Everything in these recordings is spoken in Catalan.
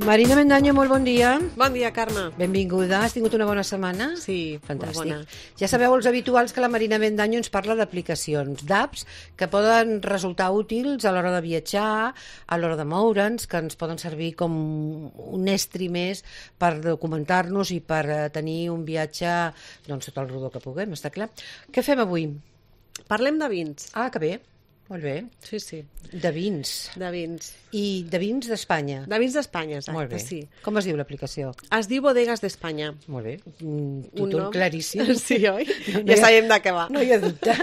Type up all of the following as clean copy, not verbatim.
Marina Mendaño, molt bon dia. Bon dia, Carme. Benvinguda. Has tingut una bona setmana? Sí, fantàstic. bona. Ja sabeu els habituals que la Marina Mendaño ens parla d'aplicacions, d'apps que poden resultar útils a l'hora de viatjar, a l'hora de moure'ns, que ens poden servir com un estri més per documentar-nos i per tenir un viatge doncs, tot el rodó que puguem, està clar. Què fem avui? Parlem de vins. Ah, que bé. Molt bé. Sí, sí. De vins. De vins. I de vins d'Espanya. De vins d'Espanya, exacte, Molt bé. sí. Com es diu l'aplicació? Es diu Bodegas d'Espanya. Molt bé. Títol claríssim. Sí, oi? Ja sabem de què va. No hi ha dubte.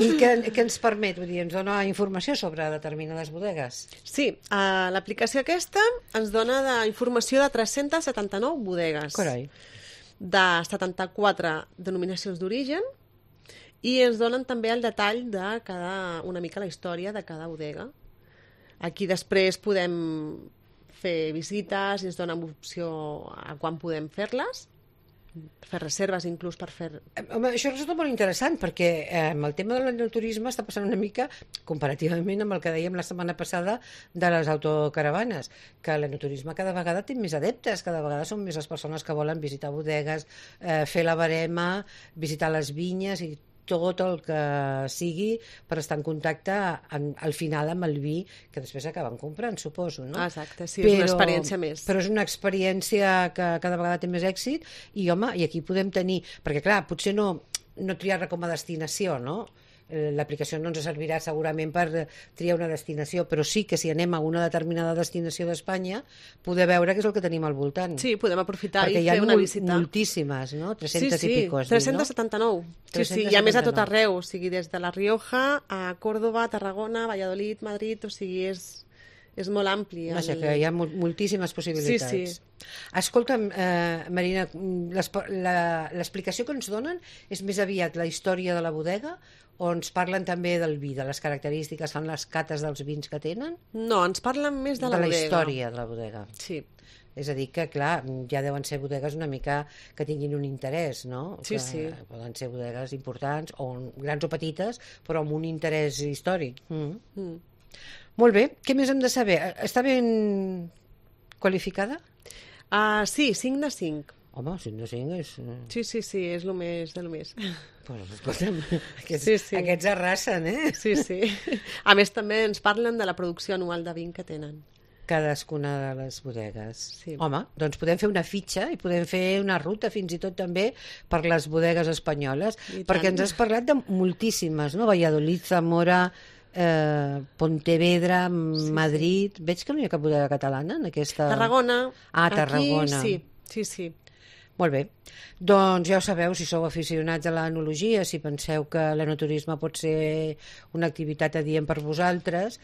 I què ens permet? Vull dir, ens dona informació sobre determinades bodegues? Sí, l'aplicació aquesta ens dona informació de 379 bodegues. Carai. De 74 denominacions d'origen, i ens donen també el detall de una mica la història de cada bodega. Aquí després podem fer visites i ens donen opció a quan podem fer-les, fer reserves inclús per fer... Home, això resulta molt interessant perquè amb el tema de l'enoturisme està passant una mica comparativament amb el que dèiem la setmana passada de les autocaravanes, que l'enoturisme cada vegada té més adeptes, cada vegada són més les persones que volen visitar bodegues, fer la barema, visitar les vinyes i tot el que sigui per estar en contacte al final amb el vi que després acaben comprant, suposo, no? Exacte, sí, és una experiència més. Però és una experiència que cada vegada té més èxit i, home, i aquí podem tenir... Perquè, clar, potser no triar-la com a destinació, no? L'aplicació no ens servirà segurament per triar una destinació, però sí que si anem a una determinada destinació d'Espanya poder veure què és el que tenim al voltant. Sí, podem aprofitar perquè i fer una visita. Perquè hi ha moltíssimes, no? 300 i pico. 379. No? Sí, i a més a tot arreu, o sigui, des de La Rioja a Córdoba, Tarragona, Valladolid, Madrid, o sigui, és molt ampli. Vaja, que hi ha moltíssimes possibilitats. Sí, sí. Escolta'm, Marina, l'explicació que ens donen és més aviat la història de la bodega o ens parlen també del vi, de les característiques, fan les cates dels vins que tenen? No, ens parlen més de la bodega. De la història de la bodega. Sí. És a dir que, clar, ja deuen ser bodegues una mica que tinguin un interès, no? Sí, que sí. Poden ser bodegues importants, o grans o petites, però amb un interès històric. Molt bé, què més hem de saber? Està ben qualificada? Sí, 5 de 5. Home, 5 de 5 és... Sí, és el més del més. Pues, escolta'm, sí. Aquests arrasen, eh? Sí. A més, també ens parlen de la producció anual de vin que tenen. Cadascuna de les bodegues. Sí. Home, doncs podem fer una fitxa i podem fer una ruta fins i tot també per les bodegues espanyoles, perquè ens has parlat de moltíssimes, no? Valladolid, Zamora, Pontevedra, Madrid... Veig que no hi ha cap bodega catalana en aquesta... Tarragona. Tarragona. Aquí sí. Molt bé. Doncs ja ho sabeu, si sou aficionats a l'enologia, si penseu que l'enoturisme pot ser una activitat adient per vosaltres,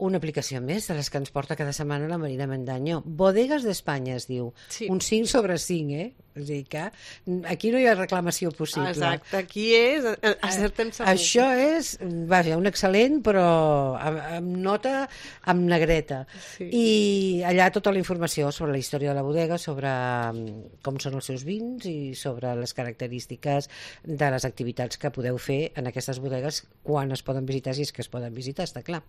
una aplicació més de les que ens porta cada setmana la Marina Mendaño. Bodegas d'Espanya es diu. Sí. Un 5 sobre 5, eh? És a dir que aquí no hi ha reclamació possible. Exacte, aquí és acertem segur. Això és, vaja, un excel·lent, però amb nota, amb negreta. Sí. I allà tota la informació sobre la història de la bodega, sobre com són els seus vins i sobre les característiques de les activitats que podeu fer en aquestes bodegues quan es poden visitar, si és que es poden visitar, està clar.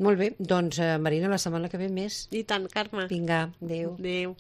Molt bé, doncs Marina, la setmana que ve més. I tant, Carme. Vinga, adéu. Adéu.